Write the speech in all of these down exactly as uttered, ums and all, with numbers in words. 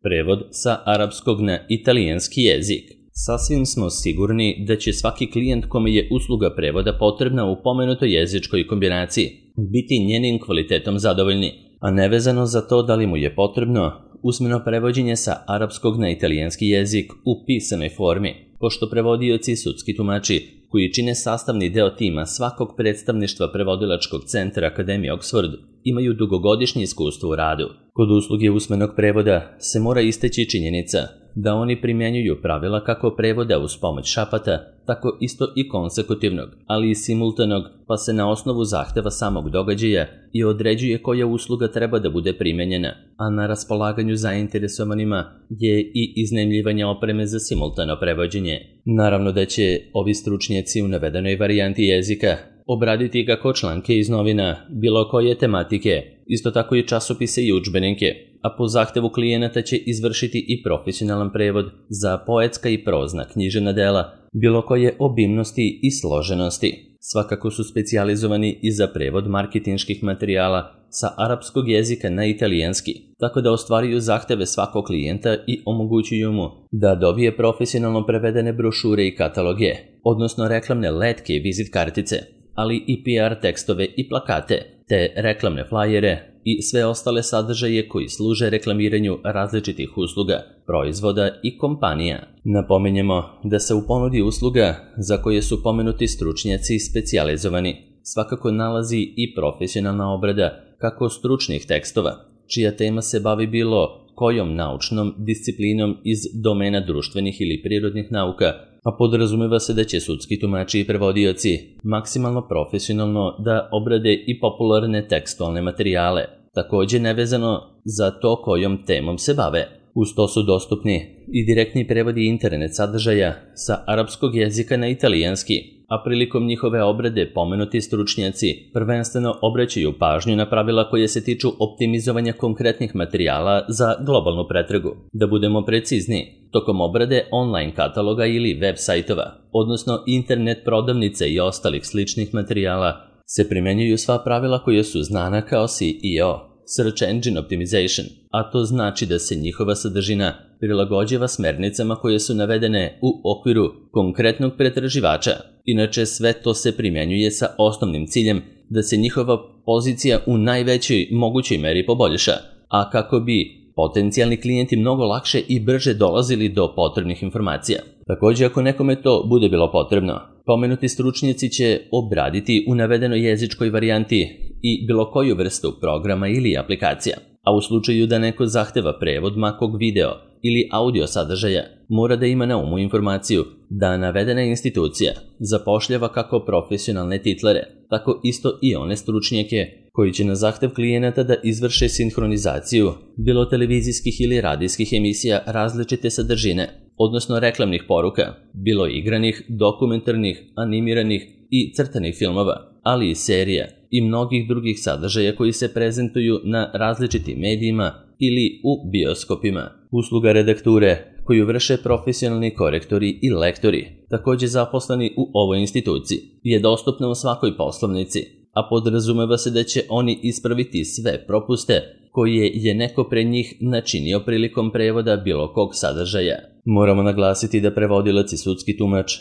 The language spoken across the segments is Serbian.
Prevod sa arapskog na italijanski jezik. Sasvim smo sigurni da će svaki klijent kome je usluga prevoda potrebna u pomenutoj jezičkoj kombinaciji biti njenim kvalitetom zadovoljni, a nevezano za to da li mu je potrebno usmeno prevođenje sa arapskog na italijanski jezik u pisanoj formi, pošto prevodioci i sudski tumači, koji čine sastavni deo tima svakog predstavništva prevodilačkog centra Akademije Oxford, imaju dugogodišnje iskustvo u radu. Kod usluge usmenog prevoda se mora istaći činjenica da oni primjenjuju pravila kako prevoda uz pomoć šapata, tako isto i konsekutivnog, ali i simultanog, pa se na osnovu zahteva samog događaja i određuje koja usluga treba da bude primenjena, a na raspolaganju zainteresovanima je i iznajmljivanje opreme za simultano prevođenje. Naravno da će ovi stručnjaci u navedenoj varijanti jezika obraditi kako članke iz novina, bilo koje tematike, isto tako i časopise i udžbenike, a po zahtevu klijenata će izvršiti i profesionalan prevod za poetska i prozna književna dela, bilo koje obimnosti i složenosti. Svakako su specijalizovani i za prevod marketinških materijala sa arapskog jezika na italijanski, tako da ostvaruju zahteve svakog klijenta i omogućuju mu da dobije profesionalno prevedene brošure i kataloge, odnosno reklamne letke i vizit kartice, ali i P R tekstove i plakate, te reklamne flajere i sve ostale sadržaje koji služe reklamiranju različitih usluga, proizvoda i kompanija. Napominjemo da se u ponudi usluga za koje su pomenuti stručnjaci specijalizovani svakako nalazi i profesionalna obrada kako stručnih tekstova, čija tema se bavi bilo kojom naučnom disciplinom iz domena društvenih ili prirodnih nauka, a podrazumeva se da će sudski tumači i prevodioci maksimalno profesionalno da obrade i popularne tekstualne materijale, takođe nevezano za to kojom temom se bave. Uz to su dostupni i direktni prevodi internet sadržaja sa arapskog jezika na italijanski, a prilikom njihove obrade pomenuti stručnjaci prvenstveno obraćaju pažnju na pravila koje se tiču optimizovanja konkretnih materijala za globalnu pretragu. Da budemo precizni, tokom obrade online kataloga ili web sajtova, odnosno internet prodavnice i ostalih sličnih materijala, se primenjuju sva pravila koja su znana kao S E O, Search Engine Optimization, a to znači da se njihova sadržina prilagođava smernicama koje su navedene u okviru konkretnog pretraživača. Inače, sve to se primenjuje sa osnovnim ciljem da se njihova pozicija u najvećoj mogućoj meri poboljša, a kako bi potencijalni klijenti mnogo lakše i brže dolazili do potrebnih informacija. Takođe, ako nekome to bude bilo potrebno, pomenuti stručnjaci će obraditi u navedenoj jezičkoj varijanti i bilo koju vrstu programa ili aplikacija, a u slučaju da neko zahteva prevod makog video ili audio sadržaja, mora da ima na umu informaciju da navedena institucija zapošljava kako profesionalne titlere, tako isto i one stručnjake koji će na zahtev klijenata da izvrše sinhronizaciju bilo televizijskih ili radijskih emisija različite sadržine, odnosno reklamnih poruka, bilo igranih, dokumentarnih, animiranih i crtanih filmova, ali i serija i mnogih drugih sadržaja koji se prezentuju na različitim medijima ili u bioskopima. Usluga redakture koju vrše profesionalni korektori i lektori, takođe zaposleni u ovoj instituciji, je dostupna u svakoj poslovnici, a podrazumeva se da će oni ispraviti sve propuste koje je neko pre njih načinio prilikom prevoda bilo kog sadržaja. Moramo naglasiti da prevodilac i sudski tumač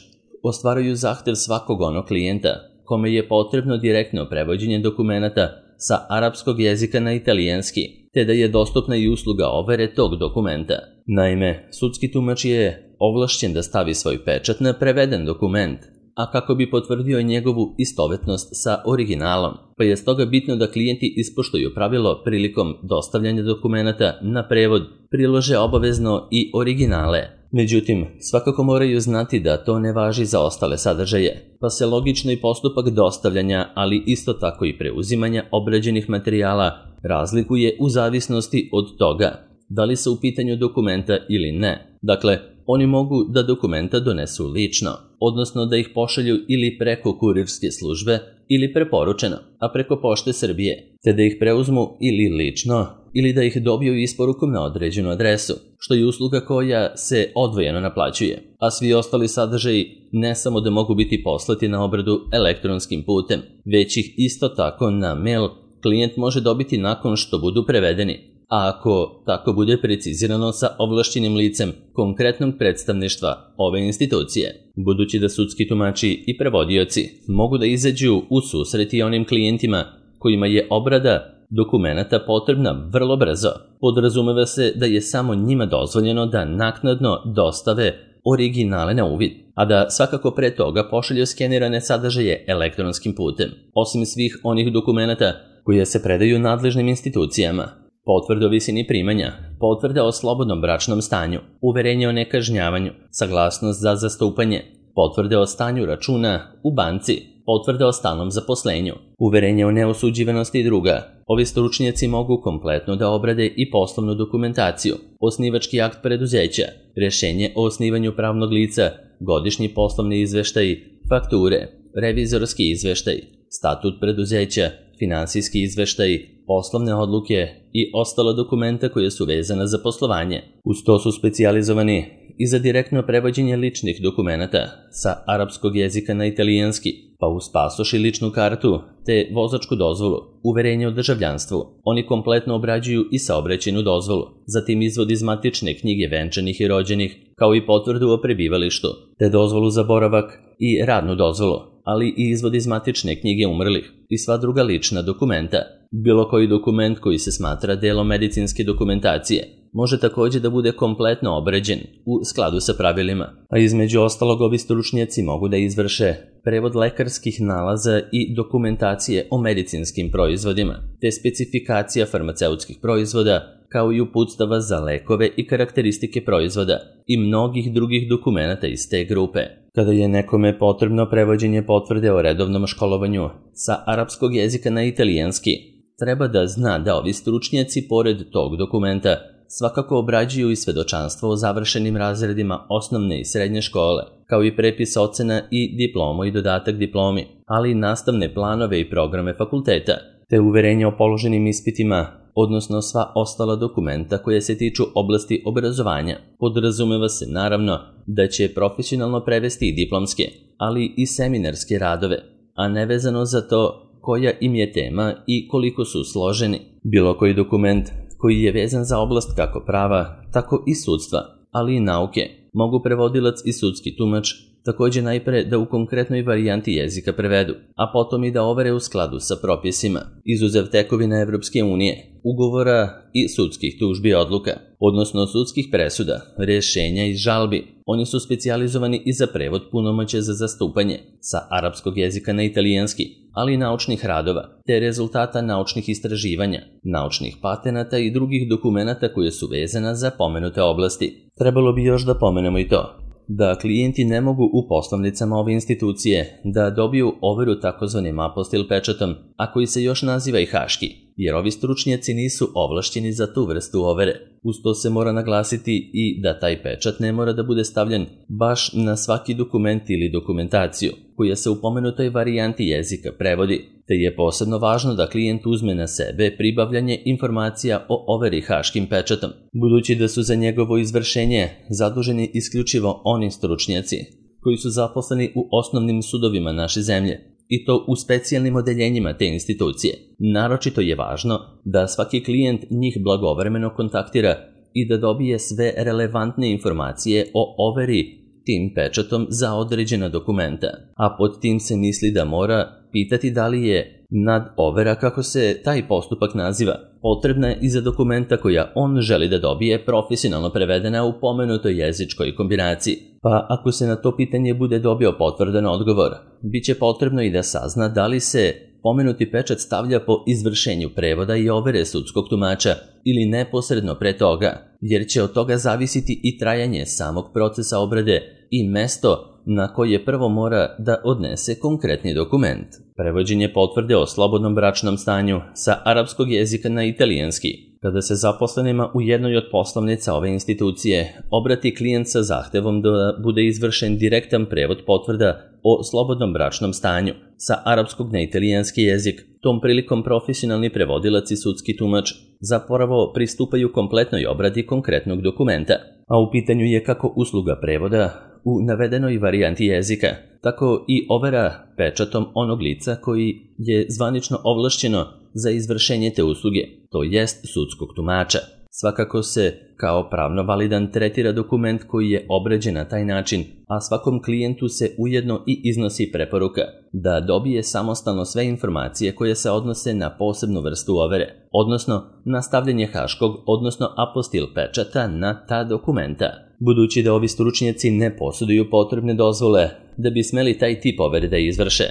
ostvaruju zahtev svakog onog klijenta kome je potrebno direktno prevođenje dokumenata sa arapskog jezika na italijanski, te da je dostupna i usluga overe tog dokumenta. Naime, sudski tumač je ovlašćen da stavi svoj pečat na preveden dokument, a kako bi potvrdio njegovu istovetnost sa originalom, pa je stoga bitno da klijenti ispoštuju pravilo prilikom dostavljanja dokumenata na prevod prilože obavezno i originale. Međutim, svakako moraju znati da to ne važi za ostale sadržaje, pa se logično i postupak dostavljanja, ali isto tako i preuzimanja obrađenih materijala razlikuje u zavisnosti od toga da li su u pitanju dokumenta ili ne. Dakle, oni mogu da dokumenta donesu lično, odnosno da ih pošalju ili preko kurirske službe ili preporučeno, a preko Pošte Srbije, te da ih preuzmu ili lično ili da ih dobiju isporukom na određenu adresu, što je usluga koja se odvojeno naplaćuje, a svi ostali sadržaji ne samo da mogu biti poslati na obradu elektronskim putem, već ih isto tako na mail klijent može dobiti nakon što budu prevedeni. a ako tako bude precizirano sa ovlašćenim licem konkretnog predstavništva ove institucije, budući da sudski tumači i prevodioci mogu da izađu u susret i onim klijentima kojima je obrada dokumenata potrebna vrlo brzo, podrazumeva se da je samo njima dozvoljeno da naknadno dostave originale na uvid, a da svakako pre toga pošalju skenirane sadržaje elektronskim putem, osim svih onih dokumenata koje se predaju nadležnim institucijama. Potvrde o visini primanja, potvrde o slobodnom bračnom stanju, uverenje o nekažnjavanju, saglasnost za zastupanje, potvrde o stanju računa u banci, potvrde o stalnom zaposlenju, uverenje o neosuđivanosti i druga. Ovi stručnjaci mogu kompletno da obrade i poslovnu dokumentaciju, osnivački akt preduzeća, rješenje o osnivanju pravnog lica, godišnji poslovni izveštaj, fakture, revizorski izveštaj, statut preduzeća, finansijski izveštaj, poslovne odluke i ostala dokumenta koja su vezana za poslovanje. Uz to su specijalizovani i za direktno prevođenje ličnih dokumenata sa arapskog jezika na italijanski, pa uz pasoš i ličnu kartu, te vozačku dozvolu, uverenje o državljanstvu. Oni kompletno obrađuju i saobraćajnu dozvolu, zatim izvod iz matične knjige venčanih i rođenih, kao i potvrdu o prebivalištu, te dozvolu za boravak i radnu dozvolu, ali i izvod iz matične knjige umrlih i sva druga lična dokumenta. Bilo koji dokument koji se smatra delom medicinske dokumentacije može također da bude kompletno obrađen u skladu sa pravilima, a između ostalog ovi stručnjaci mogu da izvrše prevod lekarskih nalaza i dokumentacije o medicinskim proizvodima, te specifikacija farmaceutskih proizvoda, kao i uputstava za lekove i karakteristike proizvoda i mnogih drugih dokumenata iz te grupe. Kada je nekome potrebno prevođenje potvrde o redovnom školovanju sa arapskog jezika na italijanski, treba da zna da ovi stručnjaci pored tog dokumenta svakako obrađuju i svedočanstvo o završenim razredima osnovne i srednje škole, kao i prepis ocena i diplomu i dodatak diplomi, ali i nastavne planove i programe fakulteta, te uverenje o položenim ispitima, odnosno sva ostala dokumenta koje se tiču oblasti obrazovanja. Podrazumeva se naravno da će profesionalno prevesti i diplomske, ali i seminarske radove, a nevezano za to koja im je tema i koliko su složeni. Bilo koji dokument koji je vezan za oblast kako prava, tako i sudstva, ali i nauke, mogu prevodilac i sudski tumač također najpre da u konkretnoj varijanti jezika prevedu, a potom i da overe u skladu sa propisima, izuzev tekovina Evropske unije, ugovora i sudskih tužbi odluka, odnosno sudskih presuda, rješenja i žalbi. Oni su specijalizovani i za prevod punomoćja za zastupanje sa arapskog jezika na italijanski, ali i naučnih radova, te rezultata naučnih istraživanja, naučnih patenata i drugih dokumenata koje su vezana za pomenute oblasti. Trebalo bi još da pomenemo i to da klijenti ne mogu u poslovnicama ove institucije da dobiju overu takozvanim apostil pečatom, a koji se još naziva i haški, jer ovi stručnjaci nisu ovlašćeni za tu vrstu overe. Uz to se mora naglasiti i da taj pečat ne mora da bude stavljen baš na svaki dokument ili dokumentaciju koja se u pomenutoj varijanti jezika prevodi, te je posebno važno da klijent uzme na sebe pribavljanje informacija o overi haškim pečatom, budući da su za njegovo izvršenje zaduženi isključivo oni stručnjaci koji su zaposleni u osnovnim sudovima naše zemlje, i to u specijalnim odeljenjima te institucije. Naročito je važno da svaki klijent njih blagovremeno kontaktira i da dobije sve relevantne informacije o overi tim pečatom za određena dokumenta, a pod tim se misli da mora pitati da li je nad overa, kako se taj postupak naziva, potrebna i za dokumenta koja on želi da dobije profesionalno prevedena u pomenutoj jezičkoj kombinaciji. Pa ako se na to pitanje bude dobio potvrdan odgovor, bit će potrebno i da sazna da li se pomenuti pečat stavlja po izvršenju prevoda i overe sudskog tumača ili neposredno pre toga, jer će od toga zavisiti i trajanje samog procesa obrade i mesto na koje prvo mora da odnese konkretni dokument. Prevođenje potvrde o slobodnom bračnom stanju sa arapskog jezika na italijanski. Kada se zaposlenima u jednoj od poslovnica ove institucije obrati klijent sa zahtevom da bude izvršen direktan prevod potvrda o slobodnom bračnom stanju sa arapskog na italijanski jezik, tom prilikom profesionalni prevodilac i sudski tumač zapravo pristupaju kompletnoj obradi konkretnog dokumenta, a u pitanju je kako usluga prevoda u navedenoj varijanti jezika, tako i overa pečatom onog lica koji je zvanično ovlašćeno za izvršenje te usluge, to jest sudskog tumača. Svakako se kao pravno validan tretira dokument koji je obrađen na taj način, a svakom klijentu se ujedno i iznosi preporuka da dobije samostalno sve informacije koje se odnose na posebnu vrstu overe, odnosno na stavljanje haškog, odnosno apostil pečata na ta dokumenta. Budući da ovi stručnjaci ne posjeduju potrebne dozvole da bi smeli taj tip overe da izvrše,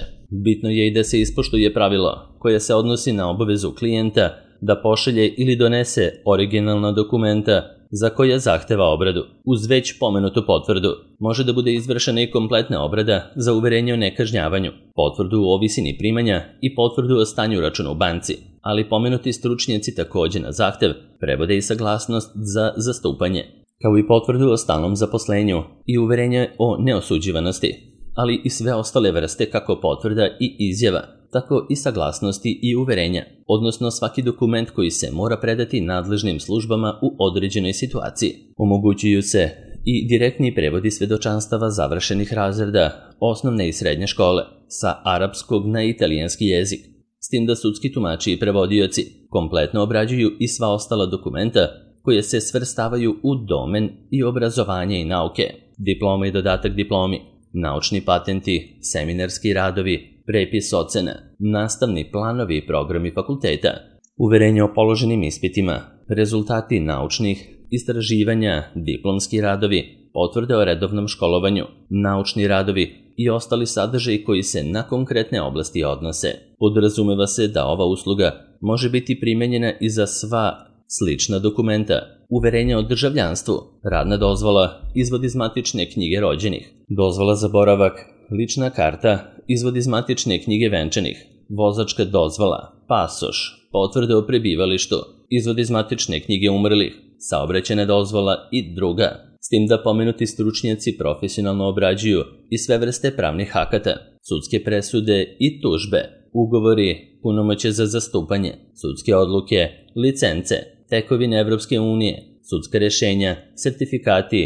bitno je i da se ispoštuje pravilo koje se odnosi na obavezu klijenta da pošalje ili donese originalna dokumenta za koje zahteva obradu. Uz već pomenutu potvrdu može da bude izvršena i kompletna obrada za uverenje o nekažnjavanju, potvrdu o visini primanja i potvrdu o stanju računa u banci, ali pomenuti stručnjaci takođe na zahtev prevode i saglasnost za zastupanje, kao i potvrdu o stalnom zaposlenju i uverenje o neosuđivanosti, ali i sve ostale vrste kako potvrda i izjava, tako i saglasnosti i uverenja, odnosno svaki dokument koji se mora predati nadležnim službama u određenoj situaciji. Omogućuju se i direktni prevodi svedočanstava završenih razreda osnovne i srednje škole sa arapskog na italijanski jezik, s tim da sudski tumači i prevodioci kompletno obrađuju i sva ostala dokumenta koje se svrstavaju u domen i obrazovanje i nauke, diploma i dodatak diplomi, naučni patenti, seminarski radovi, prepis ocena, nastavni planovi i programi fakulteta, uverenje o položenim ispitima, rezultati naučnih istraživanja, diplomski radovi, potvrde o redovnom školovanju, naučni radovi i ostali sadržaji koji se na konkretne oblasti odnose. Podrazumeva se da ova usluga može biti primenjena i za sva slična dokumenta, uverenja o državljanstvu, radna dozvola, izvod iz matične knjige rođenih, dozvola za boravak, lična karta, izvod iz matične knjige venčanih, vozačka dozvola, pasoš, potvrde o prebivalištu, izvod iz matične knjige umrlih, saobraćajna dozvola i druga. S tim da pomenuti stručnjaci profesionalno obrađuju i sve vrste pravnih akata, sudske presude i tužbe, ugovori, punomoćje za zastupanje, sudske odluke, licence, tekovine Evropske unije, sudska rešenja, sertifikati,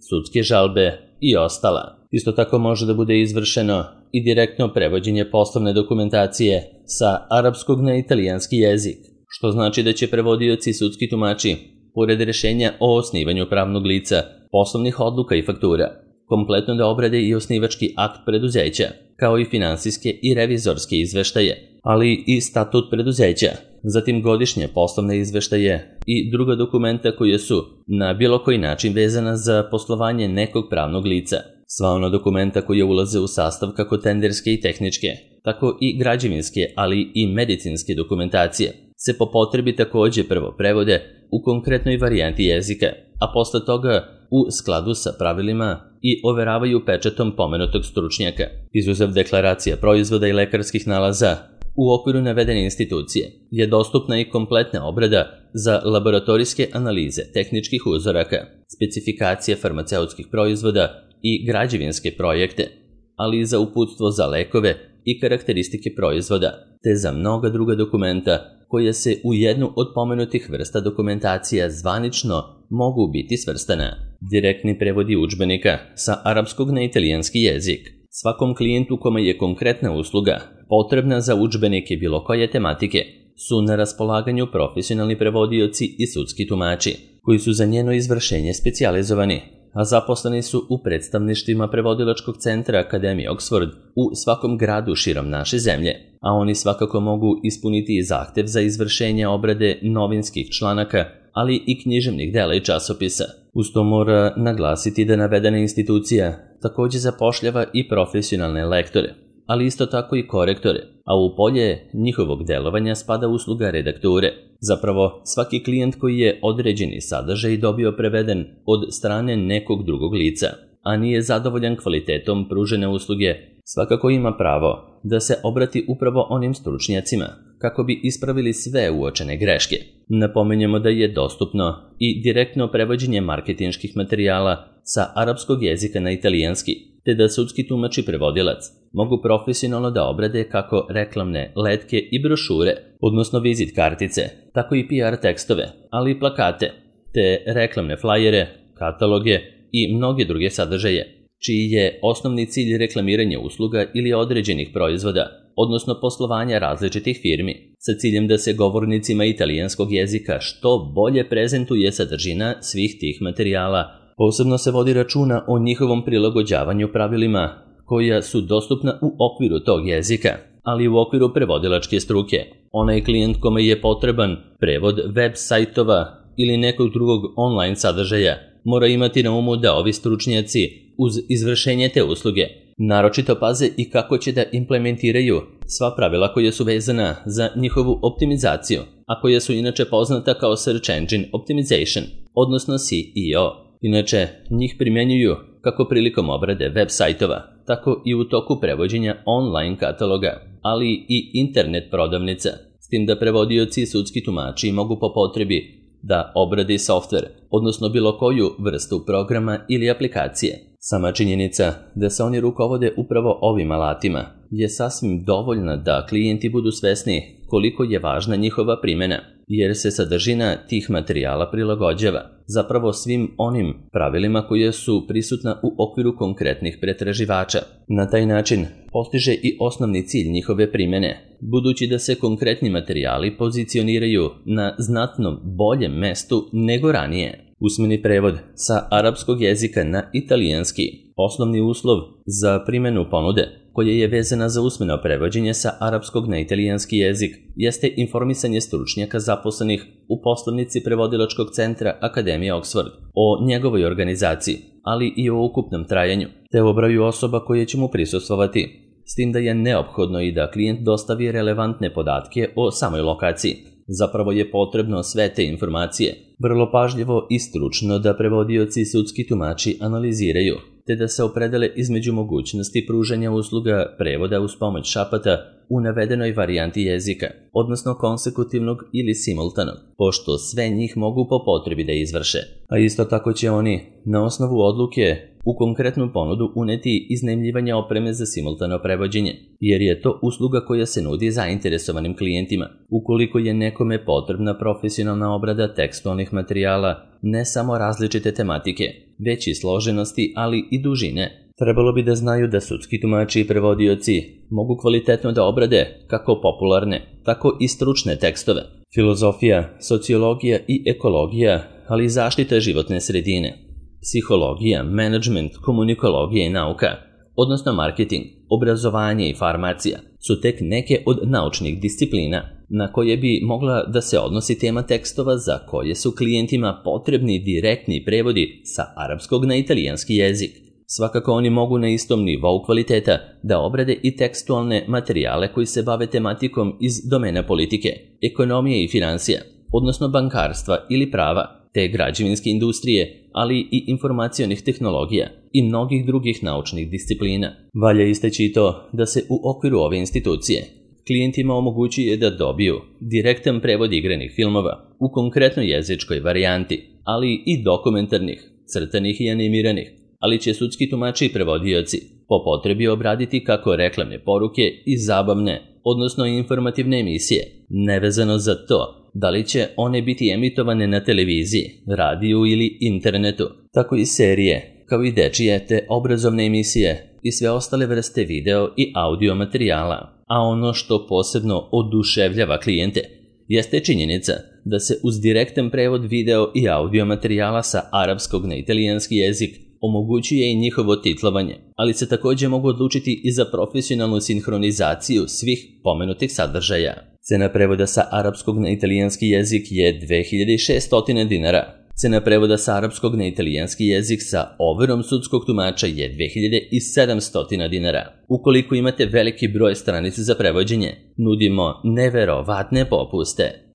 sudske žalbe i ostala. Isto tako može da bude izvršeno i direktno prevođenje poslovne dokumentacije sa arapskog na italijanski jezik, što znači da će prevodioci i sudski tumači, pored rešenja o osnivanju pravnog lica, poslovnih odluka i faktura, kompletno da obrade i osnivački akt preduzeća, kao i finansijske i revizorske izveštaje, ali i statut preduzeća, zatim godišnje poslovne izveštaje i druga dokumenta koje su na bilo koji način vezana za poslovanje nekog pravnog lica. Sva ona dokumenta koje ulaze u sastav kako tenderske i tehničke, tako i građevinske, ali i medicinske dokumentacije, se po potrebi takođe prvo prevode u konkretnoj varijanti jezika, a posle toga u skladu sa pravilima i overavaju pečatom pomenutog stručnjaka. Izuzev deklaracija proizvoda i lekarskih nalaza, u okviru navedene institucije je dostupna i kompletna obrada za laboratorijske analize tehničkih uzoraka, specifikacije farmaceutskih proizvoda i građevinske projekte, ali i za uputstvo za lekove i karakteristike proizvoda, te za mnoga druga dokumenta koje se u jednu od pomenutih vrsta dokumentacija zvanično mogu biti svrstana. Direktni prevodi udžbenika sa arapskog na italijanski jezik. Svakom klijentu kome je konkretna usluga potrebna za udžbenike bilo koje tematike su na raspolaganju profesionalni prevodioci i sudski tumači, koji su za njeno izvršenje specijalizovani, a zaposleni su u predstavništvima prevodilačkog centra Akademije Oxford u svakom gradu širom naše zemlje, a oni svakako mogu ispuniti i zahtev za izvršenje obrade novinskih članaka, ali i književnih dela i časopisa. Uz to mora naglasiti da navedena institucija takođe zapošljava i profesionalne lektore, ali isto tako i korektore, a u polje njihovog delovanja spada usluga redakture. Zapravo, svaki klijent koji je određeni sadržaj dobio preveden od strane nekog drugog lica, a nije zadovoljan kvalitetom pružene usluge, svakako ima pravo da se obrati upravo onim stručnjacima kako bi ispravili sve uočene greške. Napominjemo da je dostupno i direktno prevođenje marketinških materijala sa arapskog jezika na italijanski, te da sudski tumač i prevodilac mogu profesionalno da obrade kako reklamne letke i brošure, odnosno vizit kartice, tako i P R tekstove, ali i plakate, te reklamne flajere, kataloge i mnoge druge sadržaje, čiji je osnovni cilj reklamiranje usluga ili određenih proizvoda, odnosno poslovanja različitih firmi, sa ciljem da se govornicima italijanskog jezika što bolje prezentuje sadržina svih tih materijala. Posebno se vodi računa o njihovom prilagođavanju pravilima koja su dostupna u okviru tog jezika, ali u okviru prevodilačke struke. Onaj klijent kome je potreban prevod web sajtova ili nekog drugog online sadržaja mora imati na umu da ovi stručnjaci uz izvršenje te usluge naročito paze i kako će da implementiraju sva pravila koja su vezana za njihovu optimizaciju, a koja su inače poznata kao Search Engine Optimization, odnosno S E O. Inače, njih primjenjuju kako prilikom obrade web sajtova, tako i u toku prevođenja online kataloga, ali i internet prodavnica, s tim da prevodioci i sudski tumači mogu po potrebi da obradi softver, odnosno bilo koju vrstu programa ili aplikacije. Sama činjenica da se oni rukovode upravo ovim alatima je sasvim dovoljna da klijenti budu svesni koliko je važna njihova primjena, jer se sadržina tih materijala prilagođava zapravo svim onim pravilima koje su prisutna u okviru konkretnih pretraživača. Na taj način postiže i osnovni cilj njihove primjene, budući da se konkretni materijali pozicioniraju na znatno boljem mestu nego ranije. Usmeni prevod sa arapskog jezika na italijanski, osnovni uslov za primjenu ponude, koja je vezana za usmeno prevođenje sa arapskog na italijanski jezik, jeste informisanje stručnjaka zaposlenih u poslovnici prevodilačkog centra Akademije Oxford o njegovoj organizaciji, ali i o ukupnom trajanju, te o broju osoba koje će mu prisustvovati, s tim da je neophodno i da klijent dostavi relevantne podatke o samoj lokaciji. Zapravo je potrebno sve te informacije vrlo pažljivo i stručno da prevodioci i sudski tumači analiziraju, te da se opredele između mogućnosti pružanja usluga prevoda uz pomoć šapata u navedenoj varijanti jezika, odnosno konsekutivnog ili simultanog, pošto sve njih mogu po potrebi da izvrše. A isto tako će oni, na osnovu odluke, u konkretnu ponudu uneti iznajmljivanje opreme za simultano prevođenje, jer je to usluga koja se nudi zainteresovanim klijentima. Ukoliko je nekome potrebna profesionalna obrada tekstualnih materijala, ne samo različite tematike, već i složenosti, ali i dužine, trebalo bi da znaju da sudski tumači i prevodioci mogu kvalitetno da obrade kako popularne, tako i stručne tekstove. Filozofija, sociologija i ekologija, ali i zaštita životne sredine, psihologija, menadžment, komunikologija i nauka, odnosno marketing, obrazovanje i farmacija, su tek neke od naučnih disciplina na koje bi mogla da se odnosi tema tekstova za koje su klijentima potrebni direktni prevodi sa arapskog na italijanski jezik. Svakako oni mogu na istom nivou kvaliteta da obrade i tekstualne materijale koji se bave tematikom iz domena politike, ekonomije i financija, odnosno bankarstva ili prava, te građevinske industrije, ali i informacionih tehnologija i mnogih drugih naučnih disciplina. Valja istaći i to da se u okviru ove institucije klijentima omogućuje da dobiju direktan prevod igranih filmova u konkretnoj jezičkoj varijanti, ali i dokumentarnih, crtanih i animiranih, ali će sudski tumači i prevodioci po potrebi obraditi kako reklamne poruke i zabavne, odnosno informativne emisije, nevezano za to da li će one biti emitovane na televiziji, radiju ili internetu, tako i serije, kao i dečije te obrazovne emisije i sve ostale vrste video i audio materijala. A ono što posebno oduševljava klijente jeste činjenica da se uz direktan prevod video i audio materijala sa arapskog na italijanski jezik omogućuje i njihovo titlovanje, ali se također mogu odlučiti i za profesionalnu sinhronizaciju svih pomenutih sadržaja. Cena prevoda sa arapskog na italijanski jezik je dve hiljade šesto dinara. Cena prevoda sa arapskog na italijanski jezik sa overom sudskog tumača je dve hiljade sedamsto dinara. Ukoliko imate veliki broj stranica za prevođenje, nudimo neverovatne popuste.